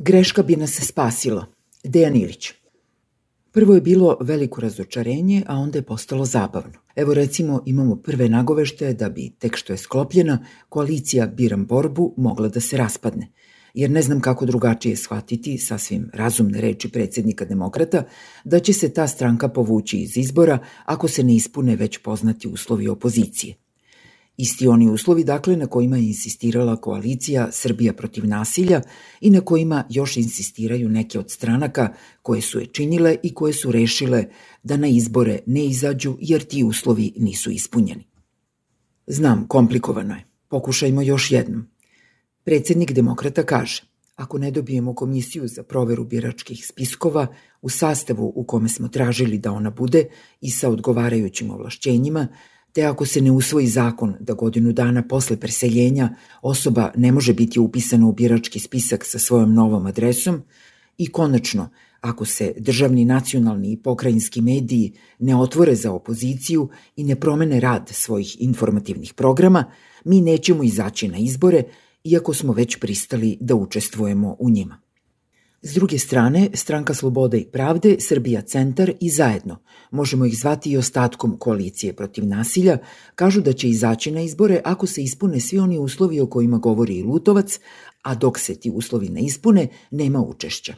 Greška bi nas spasila. Dejan Ilić. Prvo je bilo veliko razočarenje, a onda je postalo zabavno. Evo recimo imamo prve nagoveštaje da bi, tek što je sklopljena, koalicija Biram borbu mogla da se raspadne. Jer ne znam kako drugačije shvatiti, sasvim razumne reči predsjednika Demokrata, da će se ta stranka povući iz izbora ako se ne ispune već poznati uslovi opozicije. Isti oni uslovi, dakle, na kojima je insistirala koalicija Srbija protiv nasilja i na kojima još insistiraju neke od stranaka koje su je činile i koje su rešile da na izbore ne izađu jer ti uslovi nisu ispunjeni. Znam, komplikovano je. Pokušajmo još jednom. Predsjednik Demokrata kaže, ako ne dobijemo komisiju za proveru biračkih spiskova u sastavu u kome smo tražili da ona bude i sa odgovarajućim ovlašćenjima, te ako se ne usvoji zakon da godinu dana posle preseljenja osoba ne može biti upisana u birački spisak sa svojom novom adresom i konačno, ako se državni, nacionalni i pokrajinski mediji ne otvore za opoziciju i ne promene rad svojih informativnih programa, mi nećemo izaći na izbore, iako smo već pristali da učestvujemo u njima. S druge strane, Stranka slobode i pravde, Srbija centar i Zajedno, možemo ih zvati i ostatkom koalicije protiv nasilja, kažu da će izaći na izbore ako se ispune svi oni uslovi o kojima govori i Lutovac, a dok se ti uslovi ne ispune, nema učešća.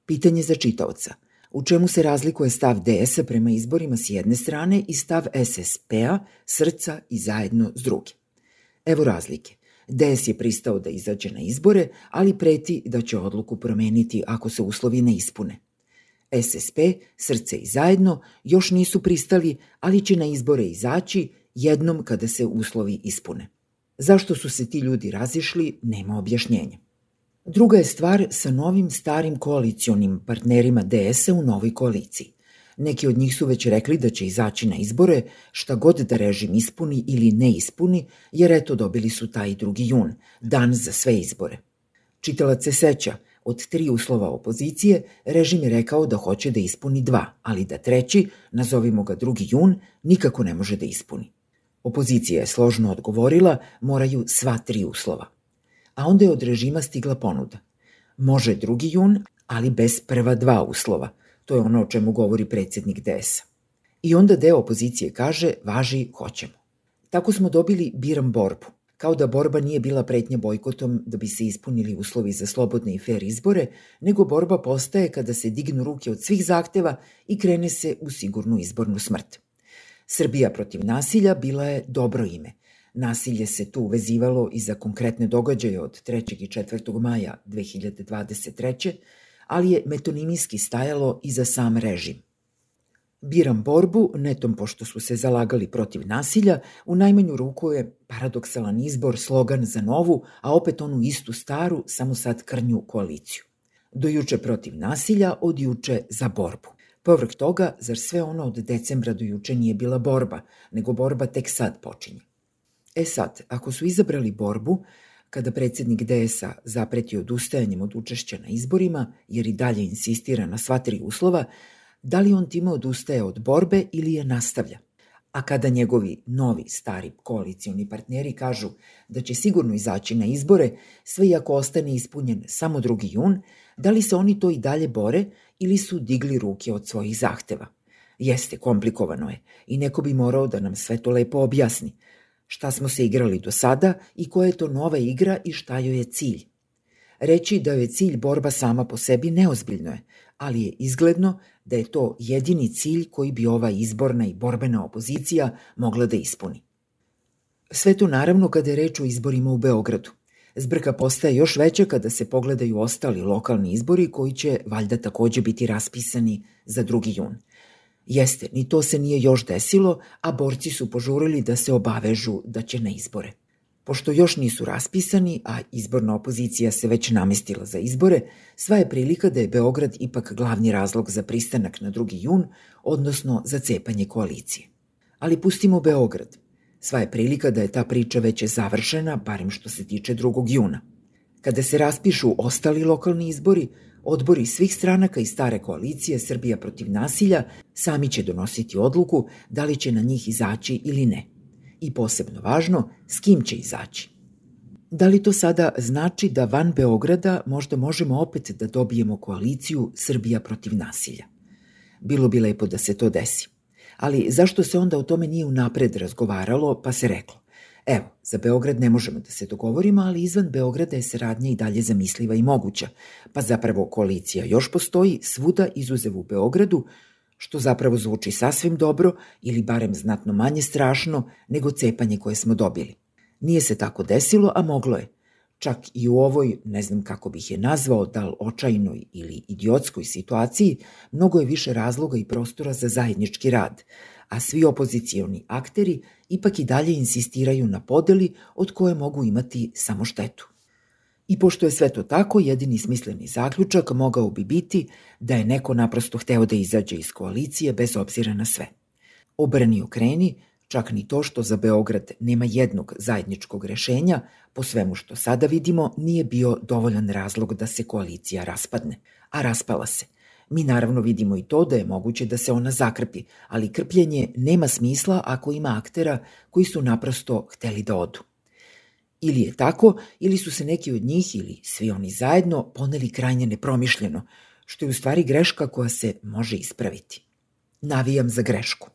Pitanje za čitaoca. U čemu se razlikuje stav DS-a prema izborima s jedne strane i stav SSP-a, Srca i Zajedno s druge? Evo razlike. DS je pristao da izađe na izbore, ali preti da će odluku promeniti ako se uslovi ne ispune. SSP, Srce i Zajedno još nisu pristali, ali će na izbore izaći jednom kada se uslovi ispune. Zašto su se ti ljudi razišli, nema objašnjenja. Druga je stvar sa novim starim koalicionim partnerima DS-a u novoj koaliciji. Neki od njih su već rekli da će izaći na izbore šta god da režim ispuni ili ne ispuni, jer eto dobili su taj 2. jun, dan za sve izbore. Čitalac se seća, od 3 uslova opozicije, režim je rekao da hoće da ispuni 2, ali da 3, nazovimo ga 2. jun, nikako ne može da ispuni. Opozicija je složno odgovorila, moraju sva 3 uslova. A onda je od režima stigla ponuda. Može 2. jun, ali bez prva 2 uslova. To je ono o čemu govori predsjednik DS-a. I onda deo opozicije kaže, važi, hoćemo. Tako smo dobili Biram borbu. Kao da borba nije bila pretnja bojkotom da bi se ispunili uslovi za slobodne i fer izbore, nego borba postaje kada se dignu ruke od svih zahteva i krene se u sigurnu izbornu smrt. Srbija protiv nasilja bila je dobro ime. Nasilje se tu vezivalo i za konkretne događaje od 3. i 4. maja 2023. ali je metonimijski stajalo i za sam režim. Biram borbu, netom pošto su se zalagali protiv nasilja, u najmanju ruku je paradoksalan izbor, slogan za novu, a opet onu istu staru, samo sad krnju koaliciju. Do juče protiv nasilja, od juče za borbu. Povrh toga, zar sve ono od decembra do juče nije bila borba, nego borba tek sad počinje. Sad, ako su izabrali borbu, kada predsjednik DS-a zapreti odustajanjem od učešća na izborima, jer i dalje insistira na sva 3 uslova, da li on time odustaje od borbe ili je nastavlja? A kada njegovi novi, stari koalicioni partneri kažu da će sigurno izaći na izbore, sve i ako ostane ispunjen samo 2. jun, da li se oni to i dalje bore ili su digli ruke od svojih zahteva? Jeste, komplikovano je i neko bi morao da nam sve to lepo objasni. Šta smo se igrali do sada i koja je to nova igra i šta joj je cilj. Reći da joj je cilj borba sama po sebi neozbiljno je, ali je izgledno da je to jedini cilj koji bi ova izborna i borbena opozicija mogla da ispuni. Sve to naravno kada je reč o izborima u Beogradu. Zbrka postaje još veća kada se pogledaju ostali lokalni izbori koji će valjda takođe biti raspisani za 2. jun. Jeste, ni to se nije još desilo, a borci su požurili da se obavežu da će na izbore. Pošto još nisu raspisani, a izborna opozicija se već namestila za izbore, sva je prilika da je Beograd ipak glavni razlog za pristanak na 2. jun, odnosno za cepanje koalicije. Ali pustimo Beograd. Sva je prilika da je ta priča već završena, barem što se tiče 2. juna. Kada se raspišu ostali lokalni izbori, odbori svih stranaka i stare koalicije Srbija protiv nasilja sami će donositi odluku da li će na njih izaći ili ne. I posebno važno, s kim će izaći. Da li to sada znači da van Beograda možda možemo opet da dobijemo koaliciju Srbija protiv nasilja? Bilo bi lepo da se to desi. Ali zašto se onda o tome nije unapred razgovaralo, pa se reklo: evo, za Beograd ne možemo da se dogovorimo, ali izvan Beograda je saradnja i dalje zamisliva i moguća, pa zapravo koalicija još postoji svuda izuzev u Beogradu, što zapravo zvuči sasvim dobro ili barem znatno manje strašno nego cepanje koje smo dobili. Nije se tako desilo, a moglo je. Čak i u ovoj, ne znam kako bih je nazvao, da li očajnoj ili idiotskoj situaciji, mnogo je više razloga i prostora za zajednički rad, a svi opozicioni akteri ipak i dalje insistiraju na podeli od koje mogu imati samo štetu. I pošto je sve to tako, jedini smisleni zaključak mogao bi biti da je neko naprosto hteo da izađe iz koalicije bez obzira na sve. Obrni okreni, čak ni to što za Beograd nema jednog zajedničkog rešenja, po svemu što sada vidimo, nije bio dovoljan razlog da se koalicija raspadne. A raspala se. Mi naravno vidimo i to da je moguće da se ona zakrpi, ali krpljenje nema smisla ako ima aktera koji su naprosto hteli da odu. Ili je tako, ili su se neki od njih ili svi oni zajedno poneli krajnje nepromišljeno, što je u stvari greška koja se može ispraviti. Navijam za grešku.